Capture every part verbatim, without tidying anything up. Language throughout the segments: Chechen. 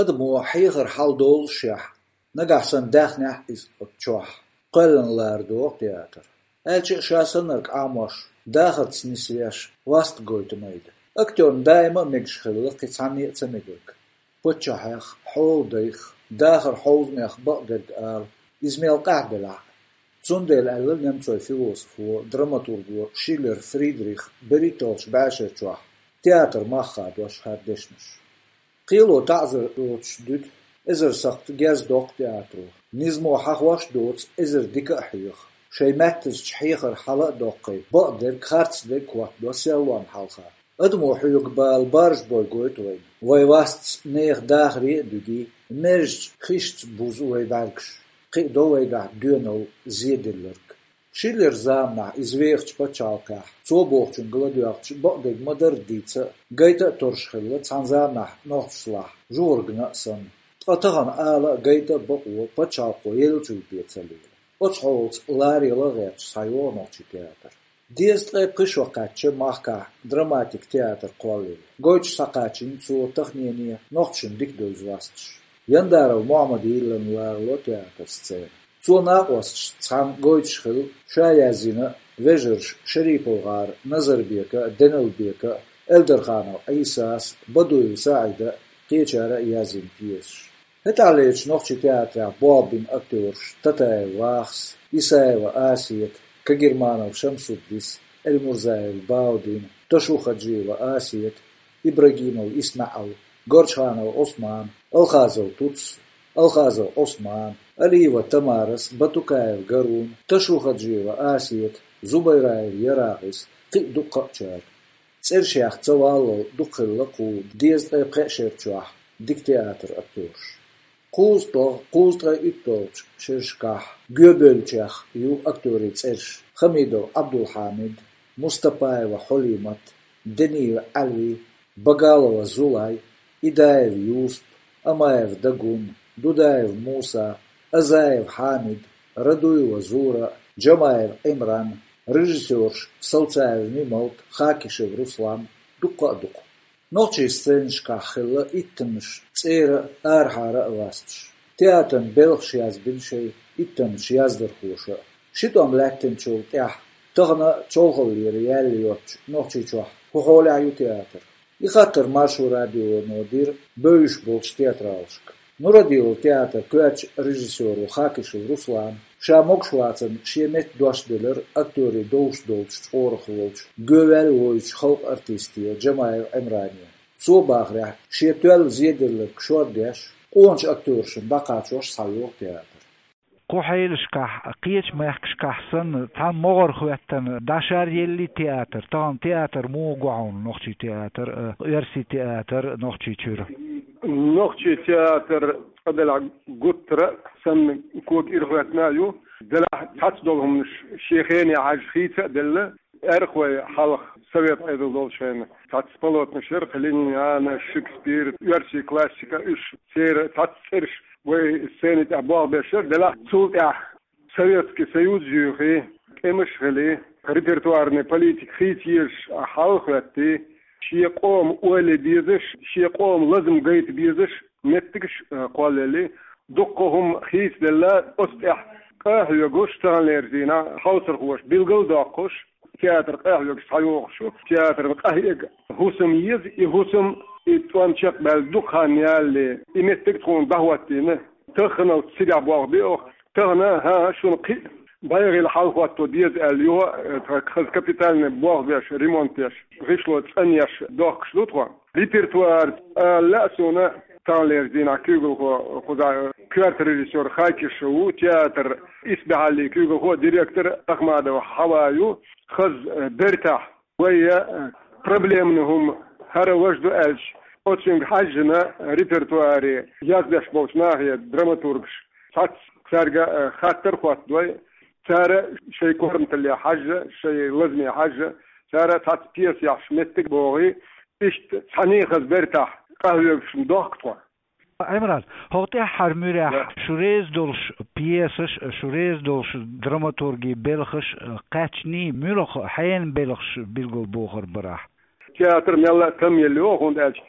Адамо хьехар хьалдоллушехь, нагахь санна даьхнехь иза оцу чохь, кхоьллина лара догӀу театр. Аьлча а ша саннарг Ӏамош, дахарца нисвеш, васт гойту майда. Актёрна даима а мегаш хилла кхин цхьанне а ца мегарг. Паччахьех, хьоладайх, дахар хьовзамех бакъдерг ала, иза мел къаьхьа делахь а. Цундела аьлла немцойн философо, драматурго Шиллер Фридрих берхӀитталгӀачу бӀешерачохь театр мах хадош хӀара дешнаш. Кхело таӀзар доцуш дуьту, эзар сакхт гез доккху театро. Низамо хьахош а доцу эзар дика а хьеха. Шайн маьттазчу хьехар хьала а доккхий, бакъдерг, харцдерг хӀоттадо селлонна хьалха. Адамо хьоьгу бала баржабой гойту вайна. Вай вастца нехан дахаре а дуьгий, мерзачу хишца бузу вай бӀаьргаш. Кхиадо вайгахь доьналла зеделларг. Шиллер заманахь иза вехачу пачхьалкхехь, цо бохучуьнга ладоьгӀча, бакъдерг ма-дарра дийца а, гайта а торш хилла цхьана заманахь нохчашлахь жугӀургна а санна. Ткъа тахана ала а, гайта а бакъо пачхьалкхо еллачул бен ца лела. Оцу хьолаца ларъяла а гӀерташ схьайогӀу нохчийн театр. Дезткъе пхи шо кхаьчча махкахь драматик театр кхоллаелла. Гойтуш схьакхачийна цо таханене нохчашна дика девза васташ. Яндаров Мохьмада йиллина ларало театр сцена. Цо накъосташца цхьаьна гойтуш хилла, ша язйина а, вежарша ШариповгӀара Назарбека а, Деналбека а, Эльдарханов Ӏийсас а, Бадуев СаӀида а, кхечара а язйина пьесаш. ХӀетахьлерчу нохчийн театрехь болх бина актёраш: Татаев Вахас, Исаева Асета, Кагерманов Шамсуддис, Эльмурзаев Баудин, Ташухаджиева Асета, Ибрагимов ИсмаьӀал, Горчханов Ӏусман, Алхазов Туц, Алхазов Ӏусман, Алиева Тамарас, Батукаев Гарун, Ташухаджиева Асета, Зубайраев Ярагъис, кхин а дуккха а чара. ЦӀерашех ца валлал дукха хилла кху дезткъе пхеа шер чохь дика театр актёраш. КхузткъалгӀа, кхузткъе уьтталгӀачу шерашкахь гоьбевллачех ю актёрийн цӀераш: Хамидов Ӏабдулхьамид, Мустапаева Хьулимат, Дениев Ӏаьлви, Багалова Зулай, Идаев Юсуп, Амаев Дагун, Дудаев Муса, Азаев Хьамид, Радуева Зура, Джамаев Ӏимран, режиссёраш: Салцаев Мималт, Хакишев Руслан, дуккха а дукха. Нохчийн сценашкахь хилла иттаннаш цӀера а, арахьара а васташ. Театран белхаш язбина шайн иттаннаш яздархоша а. Ши тӀом лаьттинчул тӀаьхьа тахана а чолхаллера яьлла йоцучу Нохчийчохь хӀун хьолехь ю театр? И хаттар Маршо радионо дира бевзаш болчу театралашка. Нурадилов театран коьртачу режиссёро Хакишев Руслана ша могуш вацарна шен метта дош делира актёрийн довш долчу чкъорах волчу, гоьваьлла воьдучу халкъан артисте Джамаев Ӏимране. Цо бахарехь, шен тоьлла зеделларг шордеш, къоначу актёрашна дӀакхачош схьайогӀу театр. Кху хьелашкахь, кхечу мехкашкахь санна, цхьа могӀара хӀоьттина дӀашаръеллий театр, тахана театр муха го хьуна, нохчийн театр а, оьрсийн театр а Нохчийчуьра? Нохчийн театр, цкъа делахь, гуттара а санна, кога ирахӀоьттина а ю. Делахь, цхьацца долу хӀуманаш шен хене хьаьжжа хийца а делла, аьрхой хьалха, совет Ӏедал долчу хенахь, цхьацца полотнаш яра, Лениниана, Шекспир, оьрсийн классика, уьш, церан цхьацца цӀераш вай сцени тӀехь болх беш яра, делахь цул тӀаьхьа Советский Союз юьйхи, тӀемаш хили, репертуарный политика хийца езаш хьал хӀоьттий, шен къоман ойла безаш, шен къоман лазам гайта безаш меттигаш, э, кхоллаелли, дуккха хӀума хийцаделла, оцу тӀехь къа хьоьгуш, таханлерчу дийнахь хьовсархоша билгал а доккхуш, театр къа хьоьгуш схьайогӀуш ю, театрна къахьега хӀусам еза, и хӀусам, и тӀом чекхбаьлла дукха хан ялале, и меттиг тхуна дӀахӀоттийна. Таханалц цигахь болх бе оха. Тахана, хӀан, шуна кхин а бӀеха хила хьал хӀотто деза аьлла, юха, э, тхан хаза капитальный болх беш, ремонт еш, гӀишло цӀанъеш дохкуш ду тхо. Репертуар ала лаьа суна, таханлерчу дийнахь куьйгалхо, кхузахь коьрта режиссёр Хакишев ву, театр исбаьхьаллин куьйгалхо, директор Ахмадова Хьава ю, хаза, э, бертахь. Вай, э, проблемный хӀума хӀара важа ду аьлча, оцуьнга хьаьжжина репертуаре яздеш болчу нахе, драматургаш, цхьацца цаьрга, э, хаттар а хӀоттадой, цара шайн корматалле хьаьжжа, шайн лазаме хьаьжжа, цара цхьацца пьесаяхьаш меттиг а богӀий, иштта цхьаьний хаза бертахь къахьоьгуш дохку тхо. Ӏимран, хӀокху тӀаьххьара муьрехь, да, шу реза долуш пьесаш, шу реза долуш драматургийн белхаш кхаьчний, муьлха хьенан белхаш билгалбохур бара ахь? Театр мелла а там елла йогӀу, хӀунда аьлча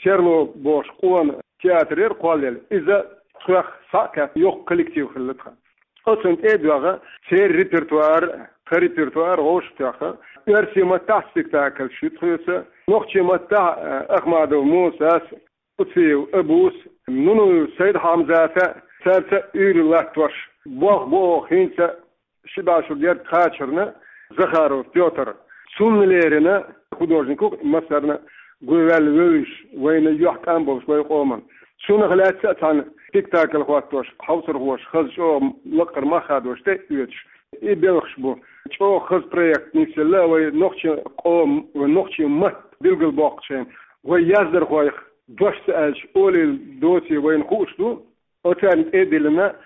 Серло бохуш къона театр яра кхоллаелла. Иза тхох схьа а кхаьчна, йоккха коллектив хилла тхан. Оцунна тӀе а доагӀа, церан репертуар, тхан репертуар вовшахтоьхна, оьрсийн маттахь спектакльш ю тхоьца, нохчийн маттахь, э, Ахмадов Мусас, Куциев Абус, Нунуев Сайд-Хьамзата, царца уьйр латтош, болх бу оха хӀинца а, ши бӀе шо герга кхачарна, Захаров Пётр. Цунна леррина художник ву массарна гуйваьлла вевзаш, вайна юьхькӀам болуш вай къоман. Цунах лаьцна а цхьана спектакль хӀоттош, хьовсархоша хаза чӀогӀа лаккхара мах хадош тӀе а оьцуш, и белхаш бу. ЧӀогӀа хаза проект нисъелла вай нохчийн къоман, вай нохчийн матта билгалбоккхучу хенахь, вай яздархойх дош ца аьлча, олийла доций вайна хууш ду. Оцарна тӀе а диллина,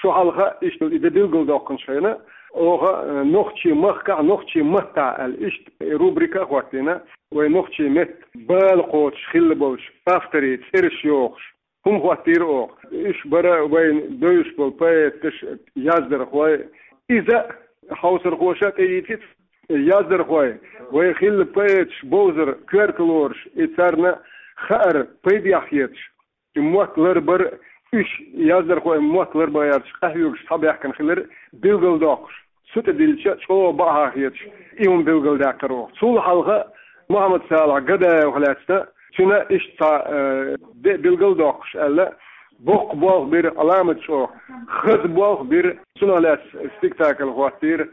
шо хьалха иштта и де билгалдоккхучу хенахь, оха, э, нохчийн махкахь, нохчийн маттахь аьлла, иштта и рубрика а хӀоттийна, вай нохчийн меттан бала кхочуш хилла болчу авторийн цӀераш йохуш, хӀума хӀоттийра оха. Уьш бара вайна бевзаш болу поэташ, яздархой. Иза а хьовсархоша а тӀеийцира, яздархой, вай хилла поэташ бовзар коьрта лоруш, и царна хаар пайдехь хеташ, и мотт ларбар, уьш яздархойн мотт ларбан гӀерташ къахьоьгуш схьабаьхкина хилар билгалдоккхуш. Цу тӀе диллича, чӀогӀа бакъахьа хеташ, и хӀума билгалдаьккхира оха. Цул хьалха Мухьаммад-Салахь Гадаевх лаьцна, цуьнан иштта цхьа, э, де а билгалдоккхуш аьлла, боккха болх бира, Ӏаламат чӀогӀа хаза болх бира, цунах лаьцна спектакль хӀоттийра,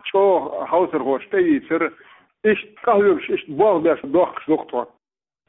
чӀогӀа хьовсархоша тӀеийцира, иштта къахьоьгуш, иштта болх беш дохкуш ду-кх тхо.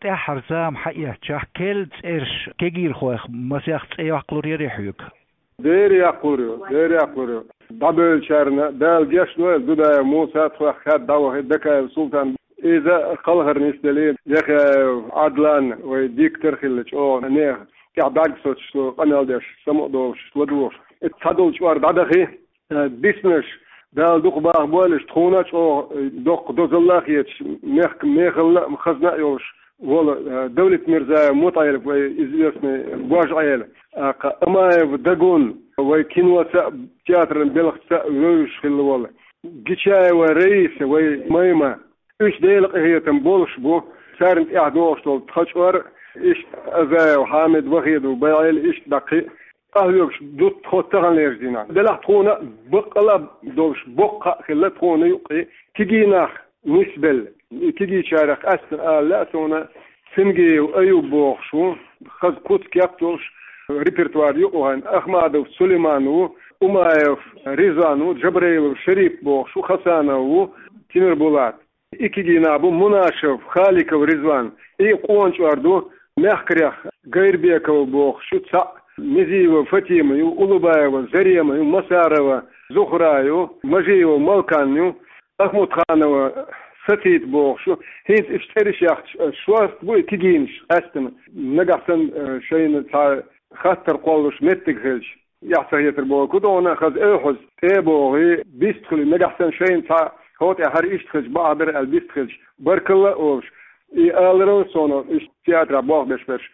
ТӀаьххьара зама хьаэцчахь, керла цӀераш кегийрхойх масех цӀе яккхалур ярий хьоьга? Дера яккхалур ю, дера яккхалур ю. ДӀабевллачарна Дала гечдойла, Дудаев Муса тхох хадда дӀавахи, Дакаев Султан. Иза кхалхар нисделла, Яхаев Ӏадлан, вай диктор хилла чӀогӀа нехан, тӀехь бӀаьрг соцуш, къамел деш, самукъадолуш, ладугӀуш. Иза цхьадолу чкъор дӀадахи, э, биснарш, Дала дукха бахбойла уьш, тхуна а чӀогӀа, э, доккха дозалла а хеташ, мехк-, мехалла а, хазна а йолуш волу, э, Давлетмирзаев МутӀаилов, вай известный Божъяьлла, а, кха, Амаев Дагун, вай киноца а, театран белхаца а вевзаш хилла волу Гичаева Раиса, вай майма. Уьш Делан къинхетам болуш бу, царна тӀехь догӀуш долу тхан чкъор, иштта Азаев Хьамид, Вахидов БайгӀел, иштта дӀакхин къахьоьгуш ду тхо таханлерчу дийнахь. Делахь тхуна баккъала а долуш боккха хаа хилла тхуна юккъе кегий нах нисбелла. И кегийчарех къаьсттина ала лаьа суна, Цангиев Аюб бохуш ву, хаза куц-кеп долуш, репертуар юкъа вахана, Ахмадов Сулейман ву, Умаев Ризван ву, Джабраилов Шарип бохуш ву, Хасанов ву, Тимирбулат. И кегий нах бу Мунашев, Халиков Ризван, и къона чкъор ду, мехкарех Гайрбекова бохуш ю цхьаъ, Мезиева Фатима ю, Улубаева Зарема ю, Масарова Зухра ю, Мажиева Малкан ю, Ахмутханова Сатит бохуш ю. ХӀинца уьш цӀераш яхча, шорта бу и кегийнаш къаьсттина, нагахь санна, э, шайна цхьа хаттар кхоллуш меттиг хилча. Эхь ца хетар боху кутугӀана хаза эвхьаза тӀе а богӀий, бист хуьлий, нагахь санна шайна цхьа хӀокху тӀе хӀара иштта хилча бакъахь дара аьлла бист хилча, баркалла а олуш. И аларал суна, уьш театрахь болх беш берш,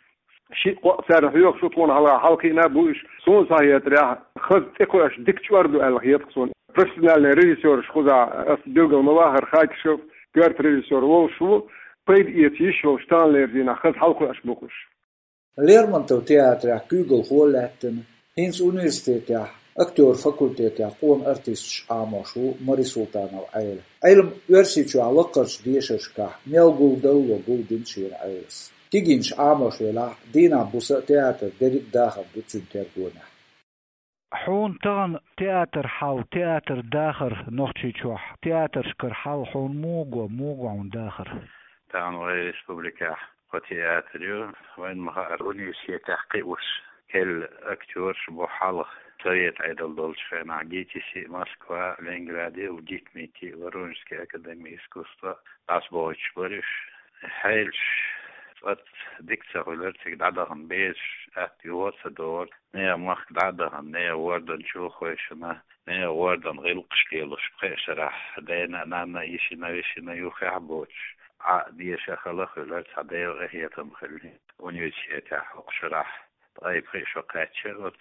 шиъ-кхоъ царна хьоьхуш ву, тхуна хьалха хьалакхиъна а бу уьш. Суна схьахетарехь, хаза цӀе кхоьуш дика чкъор ду аьлла хета суна. Профессиональный режиссёраш кхузахь ас билгал ма вахара, Хакишев коьрта режиссёр волуш ву, пайда эца йиш йолуш таханлерчу дийнахь хаза хьалакхоьуш бу-кх уьш. Лермонтов театрехь куьйгалхо а лаьттина, хӀинца университетехь, актёр факультетехь къона артисташ Ӏамош ву Мари Султанова Ӏела. Ӏилма Оьрсийчохь лаккхарчу дешаршкахь мел гулдалло гулдина шена Ӏелас. Кегийнаш Ӏамош велахь, дийнахь буса а театр дерриг а дахар ду цуьнан тергонехь. Хьуна тахана театр хьал, театр дахар Нохчийчохь, театршкара хьал хьуна муха го, муха го хьуна дахар? Тахана вайн республикехь кхо театр ю, вайна ма-хаъара, университетехь кхиош, керла актёраш бу хьалха, совет Ӏедал долчу хенахь ГИТИС-и Москва, Ленинграде, ГИТМИТИ, Воронежский академия искусства, дӀасабохуьйтуш бара уьш. Хьелаш цкъа дика ца хуьлура, цига дӀадахана безаш атта юха а ца догӀура. Нехан махка дӀа а дахана, нехан ворданчу хойшина, нехан вордан гӀиллакхаш лелош, пхеа шарахь дена а, нанна а йишина, вешина, юххехь а боцуш, Ӏа а деша хала а хуьлура, цхьа Делан къинхетам хилла. Университетехь хӀокху шарахь ткъе пхи шо кхаьчча оцу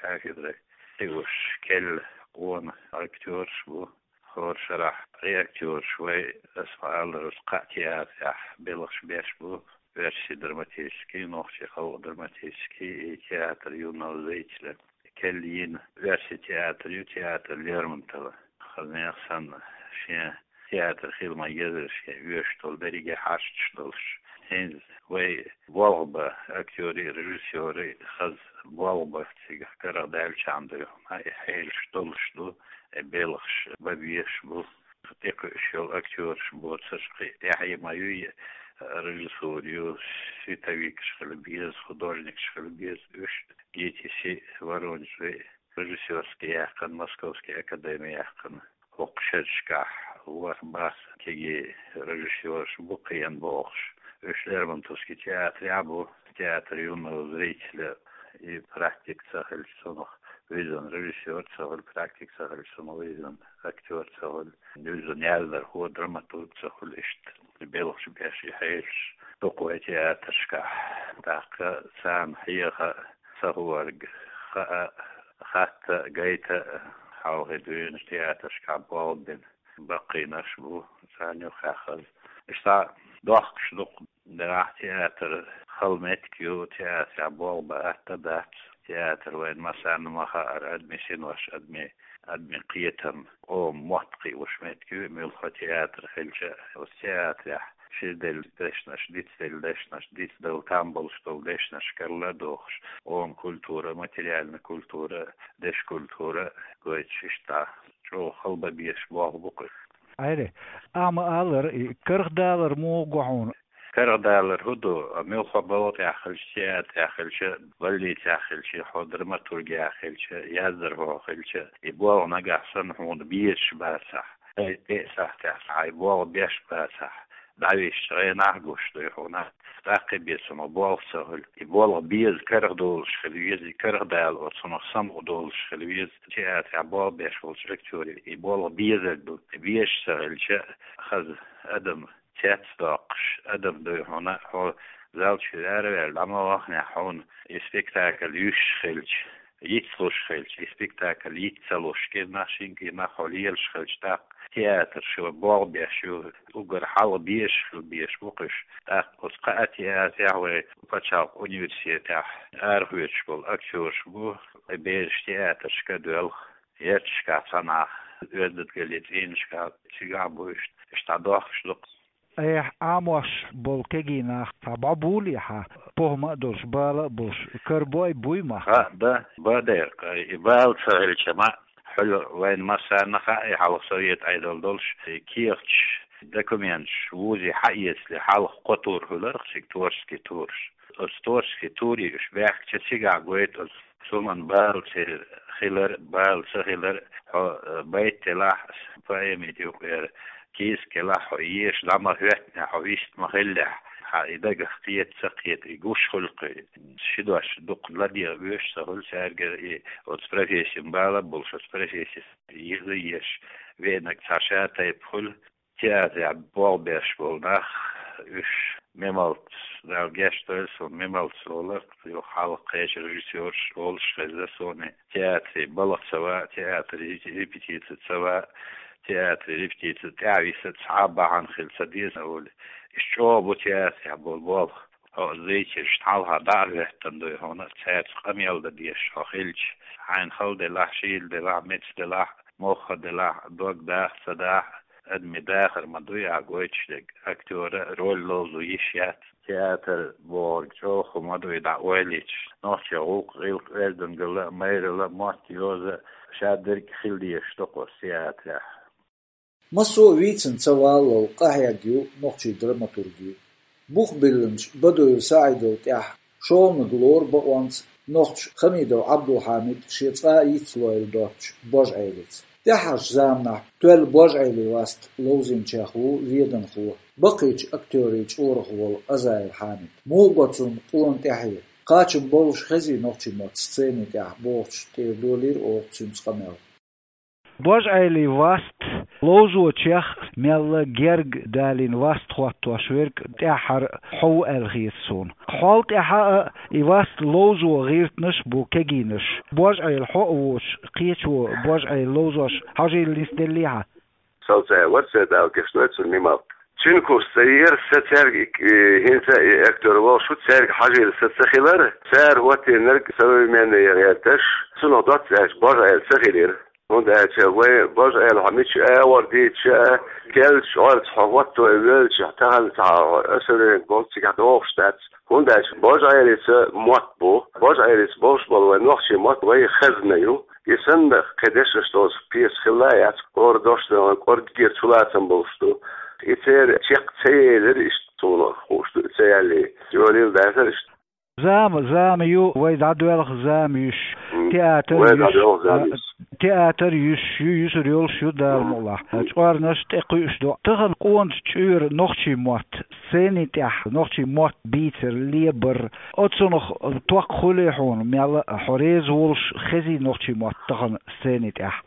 кафедре, кхиош керла къона актёраш бу. ХӀора шарахь и актёраш вай, ас ма-аллара, кхаа театрехь белхаш беш бу. оьрсийн драматический, нохчийн халкъ драматический и театр юного зрителя. Кхел йина оьрсийн театр ю, театр Лермонтова. Хаза нехан санна шен театр хила ма езара шен оьшуш долу берриге хьашташ долуш. ХӀинца вай болх бан, актёрий, режиссёрий хаза болх бан цигахь карадаьллачарна дуй хьуна, и хьелаш долуш ду, и белхаш бан безаш бу. ТӀекхуьуш йолу актёраш боцурш кхин тӀаьхье ма ю, и режиссура ю, световикаш хила беза, художникаш хила беза, уьш ГИТИС-и, Воронежи, режиссёрский яьккхина, Московский академи яьккхина. ХӀокху шерашкахь ворхӀ-бархӀ кегий режиссёраш бу кхиъна бохуш. Уьш Лермонтовский театрехь бу, театр юного зрителя, и практика ца хилча цунах виззина режиссёр ца хуьлу, практика ца хилча цунах виззина актёр ца хуьлу, виззина яздархо, драматург ца хуьлу, иштта белхаш беш и хьелаш дукха вай театрашкахь. ТӀаккха царна хьеха, ца хӀорг хаа, хатта, гайта, хьалхе дуьйна театрашкахь болх бина баккхийнаш бу, царна юххехь хаза. Иштта дохкуш дукха, делахь театр хала меттиг ю, театрехь болх бан атта дац, театр вайна массарна ма хаара, адамийн синош, адамийн, адамийн кхетам, къоман мотт кхиош меттиг ю, муьлхха театр хилча а, оцу театрехь шиъделла дешнаш, дицделла дешнаш, дицдала там болуш долу дешнаш карладохуш, къоман культура, материальная культура, дешан культура гойтуш, иштта чӀогӀа хала бан безаш болх бу кхуьш. Айре, ахьа ма-аллара, и кархдалар муха го хьуна? Кархдалар хӀун ду, муьлхха балха тӀехь хилча, театрехь хилча, больницехь хилча, хьо драматургехь хилча, яздархо хилча, и болх нагахь санна хьуна безаш бацахь, ай, тӀе а сахьтехь хьайн болх беш бацахь, дӀависча гӀенах а гуш дуй хьуна. ТӀаккха бен цунах болх ца хуьлу. И болх беза кархдолуш хила веза, и кархдала оцунах самукъадолуш хила веза. Театрехь болх беш волчу актёре и болх безар ду. Безаш ца хилча, хаза адам цецдоккхуш адам дуй хьуна, хьо зал чуьра араваьлла дӀа ма вахнехь, хьуна и спектакль юьсуш хилча, йицлуш хилча, и спектакль йиц ца луш, кӀирнах, шина кӀирнах хьо лелаш хилча, тӀаккха театр шу болх беш ю, уггар хьалха безаш хила безаш бу кхуьш. ТӀаккха оцу кхаа театрехь, вай пачхьалкхан университетехь арахоьцуш болу актёраш бу, и бераш театрашка а доьлху, ярташкахь цхьанхьа, оьзда-даггара цӀийнашкахь, цигахь бу иштта, иштта дохкуш ду-кх. Айхьа Ӏамош болу кегий нах цхьа бӀо буьйлий хьан, похӀма а долуш, бала а болуш, карабой, буй мах? Ха, да, бан дерг, и бала ца хилча ма, хьуьлла вайна массарна хаьа, и хьалха совет Ӏедал долуш, и кехаташ, документаш вузий хьаэцале, хьалха кхо тур хуьлу-кх цига, творческий тураш. Оцу творческий турий уьш баьхкича, цигахь гойту оцу суман бала церан хилар, бала ца хилар, хьо, э, байт делахь, поэми юкъера кийсак елахь, хьо еша дӀа ма хӀоьттинехь, хьо вист ма хиллехь, хьан и дагах кхета, ца кхета, и гуш хуьлу-кх. Ши дош дукха ладегӀа оьшуш ца хуьлу цаьргара, и оцу профессин бала а болуш, оцу профессис йиза а еш, веанарг цхьа ша тайпа хуьлу. Театрехь болх беш болу нах, уьш мималц, Дала гечдойла суна, мималц олу-кх, юха хьалха кхечу режиссёрша олуш хезна суна, театре балха ца ван, театре репетици ца ван, театре репетици тӀаьхьа виса цхьа а бахьана хила ца деза олий. Иштта чӀогӀа бу театрехь болу болх. Хьо зрительшна хьалха дӀа а хӀоьттина дуй хьуна, цаьрца къамел дан дезаш хьо хилча, хьайна хала делахь, шийла делахь, меца делахь, мохха делахь, дог даха ца даха, адамийн дахар ма дуй ахь гойтуш дерг, актёра роль ловзо йиш яц. Театр бохург чӀогӀа хӀума ма дуй дӀа ойла йича. Нохчийн гӀуллакх, гӀиллакх, оьздангалла а, майралла а, мотт, йоза а, шадерг а хила дезаш ду-кх оцу театрехь. Массо а вийцина ца валлал къахьегна ю нохчийн драматургий. Бух биллинчу Бадуев СаӀидал тӀаьхьа шолгӀаниг лору бакъонца нохчо Хамидов Ӏабдулхьамид шен цкъа а йицлойла доцучу Божъайлица. ТӀаьххьарчу заманахь тоьлла Божъайлин васт ловзийначех ву веданхо, баккхийчу актёрийн чкъурах волу Азаев Хьамид. Муха го цунна къона тӀаьхье? Кхачам болуш хезий нохчийн мотт сценин тӀехь бохучу тӀера долийра оха цуьнца къамел. Божъайлин васт ловзочех мелла герга далийна васт хӀоттош верг тӀаьххьара хьо ву аьлла хета суна. Хьол тӀаьхьа а и васт ловзо гӀиртинарш а бу кегийнаш. Божъайла хьо а воцуш, кхечо Божъайла ловзош хьожийла нисделлий хьан? Сал цӀа вара, цӀе Дала гечдойла цунна, мималт. Чинкус цӀа яр са цаьрга, э, хӀинца а и актёр волуш ву, цаьрга хьажийла са ца хилар, цара хӀоттийнарг современный яр гӀерташ, цунах доцца аьлча божа айла ца хилира. ХӀунда аьлча вай божа айла хьо мича а гӀор дийцича а, керлачу гӀорца хьо хӀотто а воьлча, тахана цхьа особенность болу цигахь догӀуш дац. ХӀунда аьлча божа айлица мотт бу, божа айлица болуш болу вай нохчийн мотт вай хазна ю. И санна кхин дешнаш долу пьеса хилла а яц, хӀора дош дан кӀорггера чулацам болуш ду. И церан чекх ца елира иштта, суна хууш ду, и ца яьллий, йолийла дацара иштта. Зама, зама ю, вай дӀадоьлху зама йиш. М, театр вай йиш, дӀадоьлху зама а, йиш. Театр йиш ю, юьсур йолуш ю, Дала мукъалахь. М. ЧӀорнаш тӀекхуьуш ду. Тахана къоначу чуьра нохчийн мотт, сценийн тӀехь нохчийн мотт бийцар, лебар, оцунах ток хуьлий хьуна, мел а хьо реза волуш хезий нохчийн мотт тахана сценийн тӀехь?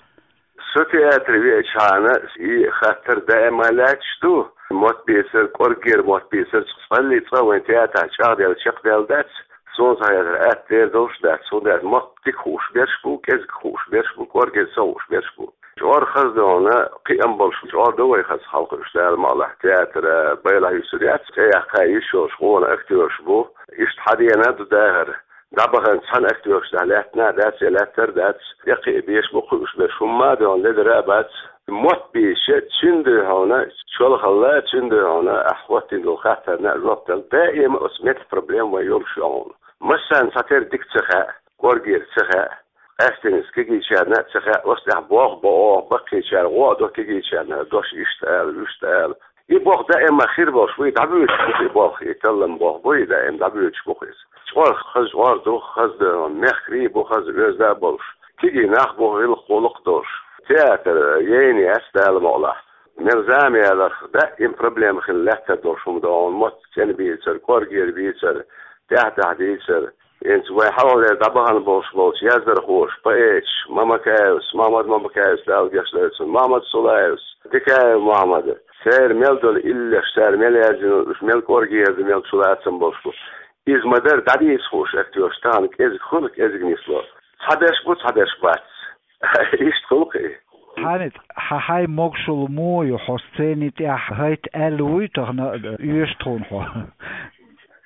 Со театре веачхьана, и хаттар даима лаьтташ ду. Мотт бийцар, кӀорггера мотт бийцар, цкъа цкъа а вайн театрехь чӀагӀделла, чекхдаьлла дац. Суна цхьа хетарехь, атта дер долуш дац. ХӀунда аьлча мотт дика хууш берш бу, кӀезиг хууш берш бу, кӀоргера ца хууш берш бу. ЧӀор хаза ду хьуна, кхиам болуш чӀор ду вай хаза хьалха уьш, Дала мукъалахь, театр, а, байлахь юьсур яц. ЦӀе яккха йиш йолуш гӀо а актёраш бу. Иштта хьадеана а ду дахар. ДӀабахана цхьана актёрашна лаьттина а дац, я лаьттар а дац, я кхин а беш бу кхуьуш берш, хӀумма а ду хьуна, ледара а бац. Мотт бийцича, цуьнан ду хьуна, чолхалла, цуьнан ду хьуна, ахь хӀоттийна долу хаттарна а жоп дала, даима оцу меттан проблема вайн йолуш ю хьуна. Массарна цхьатерра дика ца хаьа, кӀоргера ца хаьа, къаьсттина кегийчарна а ца хаьа, оцу тӀехь болх бо оха, баккхийчара гӀо а до кегийчарна, дош иштта ала, вуьшта ала. И болх даима хир болуш бу, и дӀабоьдуш бу-кх и болх, и таллам болх бу, и даима дӀабоьдуш бу-кх иза. ЧӀор хаза чӀор ду, хаза ду, мехкарий а бу хаза оьзда а болуш. Кегий нах бу гӀиллакх-гӀуллакх а долуш. Театр яйна яц, Дала мукъалахь. Мел зама яларх, даима проблема хилла лаьттар долуш хӀума ду хьуна, мотт цӀена бийцар, кӀоргера бийцар, тӀаьхь-тӀаьхьа дийцар. ХӀинца вайн хьалхалера дӀабахана болуш болчу яздархоша, поэташа, Мамакаевс, Махьмад Мамакаевс, Дала гечдойла цунна, Махьмад Сулаевс, Дикаев Махьмад, церан мел долу иллеш, цара мел яздина, уьш мел кӀоргера ду, мел чулацам болуш бу. Иза ма-дарра дӀадийца хууш актёраш тахана кӀезиг хуьлу, кӀезиг нисло. Цхьаберш бу, цхьаберш бац. Иштта хуьлу-кх и. Хьамид, хьан хьайн могушалла муха ю, хьо сцени тӀехь хӀайта аьлла вуй тахана, оьшу тхуна хьо?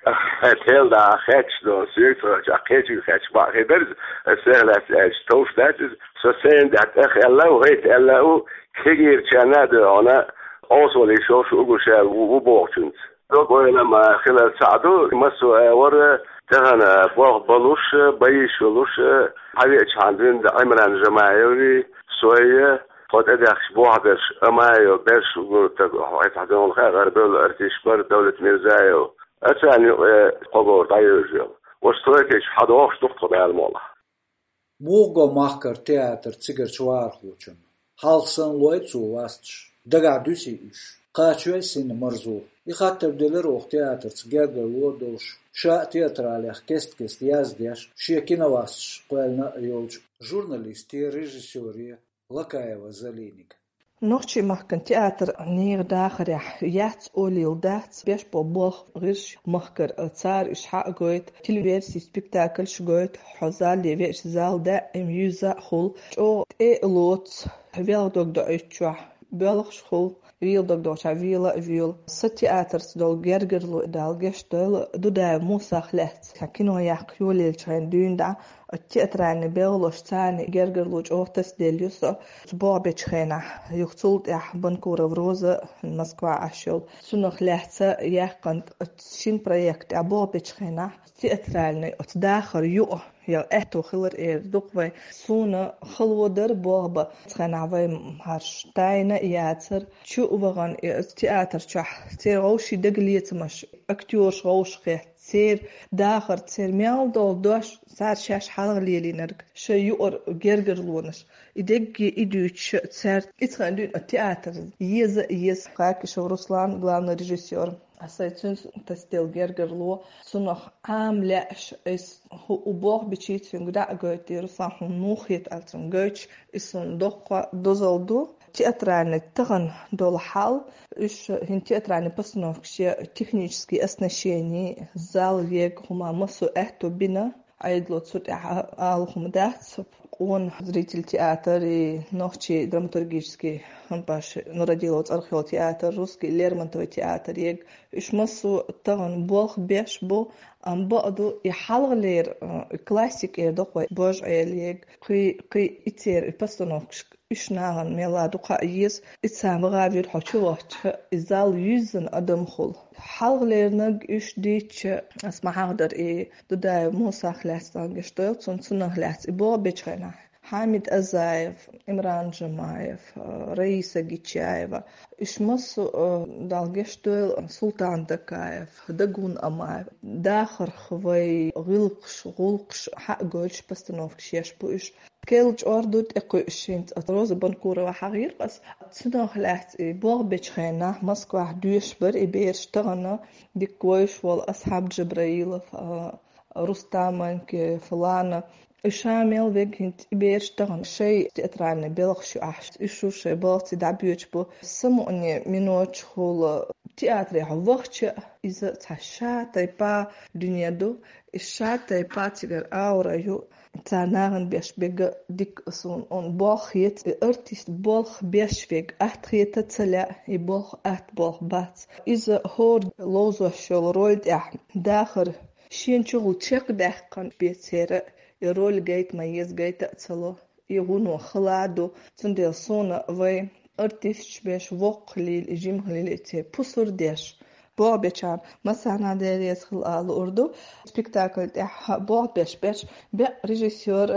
Хьан тел да хетташ до, соьга ца хетча, кхечуьнга хетташ бакъ хир дара иза, аса сехь лаьцна аьлча, товш дац иза. Со сцени тӀехь тӀех аьлла а ву, хӀайта аьлла а ву, кегийрачарна а ду хьуна, къовсалла йиш йолуш ву уггар ша ву, ву бохучуьнца. Дог-ойлам а хилар цхьаъ ду, массо а агӀор, тахана болх балуш, бан йиш йолуш, хьан веачхьана дуьйна Ӏимран Жамаевий, сой, тхо тӀедаьхкачу бохь берш, Амаев, берш гур таг, хьо хьайца хьадогӀун хаьа, гӀарабевлла артист бара Давлет Мирзаев. Ацарна юкъе кхо говр дӀайовжа йолу. Оцу тройкачу хьадогӀуш ду-кх тхо, Дала мукъалахь. Муха го махкара театр цигарчу вархочунна? Хьалха санна лой цо васташ, дагахь дуьсий уьш? Кхачой сина марзо? И хаттар делира оха театрца гергарло а долуш, ша а театралех кест-кеста яздеш, шен киновасташ кхоьллина а йолчу журналисте, режиссёре Лакаева Залинега. Нохчийн махкан театр нехан дахарехь яц олийла дац, беш бо болх гӀирш махкара, цара уьш хьа а гойту, телеверсийн спектакльш гойту, хьо зале веача зал даима юьзза а хуьлу, чӀогӀа тӀе а лоцу, велха дог доуьйтучохь боьлхуш хуьлу, вела дог доуьйтучохь вела а воьлу. Сан театрца долу гергарло, Дала гечдойла, Дудаев Мусах лаьцна, сан кино яккха йолаелчу хенахь дуьйна дӀа, оцу театральный белхалошца царна гергарло чӀогӀа тасаделла ю со. Оцу болх бечу хенахь, юха цул тӀаьхьа Банкурова Роза, Москвахь Ӏаш йолу, цунах лаьцна яьккхина оцу шина проект тӀехь болх бечу хенахь, театральный оцу дахар юкъа, я аьтто хилар эр ду-кх вай. Суна хало дара болх бан. Цхьанхьа вай хӀорш тайна а яцара. Чу а вахана, и оцу театр чохь церан вовшийн дагалецамаш, актёраш вовшахкхетта, церан дахар, церан мел долу дош, цара шаьш хьалха лелийнарг, шайн юкъара гергарлонаш. И дерриге а дуьйцуш, цаьрца и цхьана дуьйна театр еза а еза. Хакишев Руслан, главный режиссёр. Аса цуьнца тасаделла гергарло, цунах Ӏама лаьаш, айса хӀу-, у болх бичий цуьнга дӀа а гойтий, Руслан, хьуна муха хета аьлла цуьнга гойтуш, и суна доккха дозалла ду. Театральный тахана долу хьал, уьш хӀинца театральный постановкаш я технический оснащение, зал ега хӀума массо а аьтто бина, Ӏедало цу тӀехь ала хӀума дац. Къона зритель театр и нохчий драматургический хампаш Нурадилов цӀарах йолу театр, русский Лермонтовый театр ега. Уьш массо а тахана болх беш бу, амма бакъду и хьалхалера, э, классика эр доккхой божа Ӏелега, кхин, кхин и церан и постановкаш уьш нахана мелла дукха а еза, и цхьа ваха вир хьо чу вахча, и зал юьззина адам хула. Хьалхалернаг уьш дийча, ас ма хьахдар и Дудаев Мусах лаьцна геш дойла, цунна цунах лаьцна и боху бечхьайнахь. Хьамид Азаев, Имран Джамаев, э, Раиса Гичаева. Уьш массо а, э, Далла геш дойла, Султан Дакаев, Дагун Амаев. Дахарх вай гӀиллакхаш, гӀуллакхаш хьа а гойтуш постановкаш еш бу уьш. Кел чӀор ду тӀекхуьуш хӀинца оцу Роза Банкурова хьахийра ас. Цунах лаьцна и болх бечу хенахь Москвахь доьшуш бара и бераш тахана дика вевзаш волу Асхьаб Джабраилов, а, Рустам Анкеев, Лана. И ша мел вега хӀинца и бераш тахана шайн театральный белхаш ю ахь. И шу шайн балхаций дӀабоьдуш бу. Самукъане минотчухула театрехь вахча, иза цхьа ша тайпа дуьне ду. И ша тайпа цигара аура ю. Цара нахана беш бега дика суна, он болх ецу, и артист болх беш вега атта хета ца лаьа, и болх атта болх бац. Иза хӀора ловзош йолу роль тӀехь дахар шена чухула чекхдаьккхина бен церан, и роль гайта ма еза, гайта а ца ло, и вуно хала а ду, цундела суна вай артисташ беш воккха лийла, и жимха лийла, и церан пусар деш. Болх бечарна массарна а Дела реза хила ала луур ду. Спектакль тӀехь болх беш берш беа режиссёр,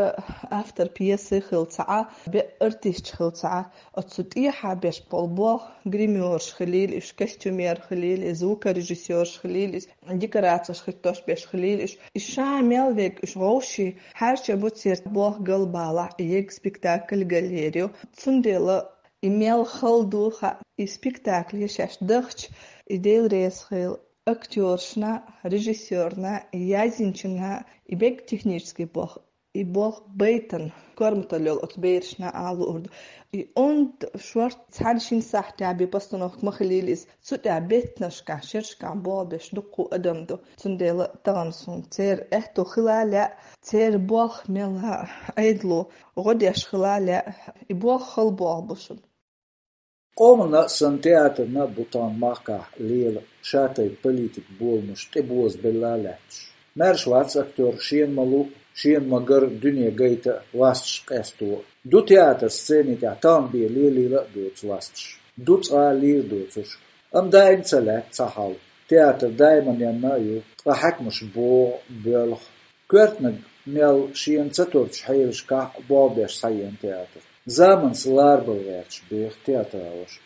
автор пьесы хила ца Ӏа, беа артисташ хила ца Ӏа. Оцу тӀехьа беш болу болх гримёрш хилийла уьш, костюмер хилийла и, звукорежиссёрш хилийла и, декорацеш хӀиттош беш хилийла уьш. И ша мел вега уьш вовший хьаьрча бу церан болх галбалахь, и ега спектакль галлерию. Цундела и мел хала ду хаьа, и спектакль шаьш дахча, и Дела реза хила актёршна, режиссёрна, язйинчунна, и бега технический болх, и болх байтан, корматалла йолу оцу берашна ала луур ду. И онда шорта цхьана-шина сахьтехь бен постановка ма хилийла иза, цу тӀехь беттанашкахь, шерашкахь болх беш дуккха адам ду. Цундела тахана суна церан аьтто хила а лаьа, церан болх мелла Ӏедало гӀо деш хила а лаьа, и болх хала болх бу шуна. Къомана а, сан театрна а бу тахана махкахь лела ша тайпа политик боламаш тӀебозабелла а лаьтташ. Маьрша вац актёр шена ма луу, шена ма гар дуьне гайта а, васташ къесто а. Ду театр сцени тӀехь тахана бен лелийла а доцу васташ. Ду цкъа а лийр доцурш. Амма даим ца лаьтта цхьа хьал. Театр даиманенна а ю, ткъа хьаькамаш богӀу, боьлху. Коьртаниг мел шена ца турчу хьелашкахь а болх беш схьаеана театр. Заманца ларбала гӀерташ беха театралоша.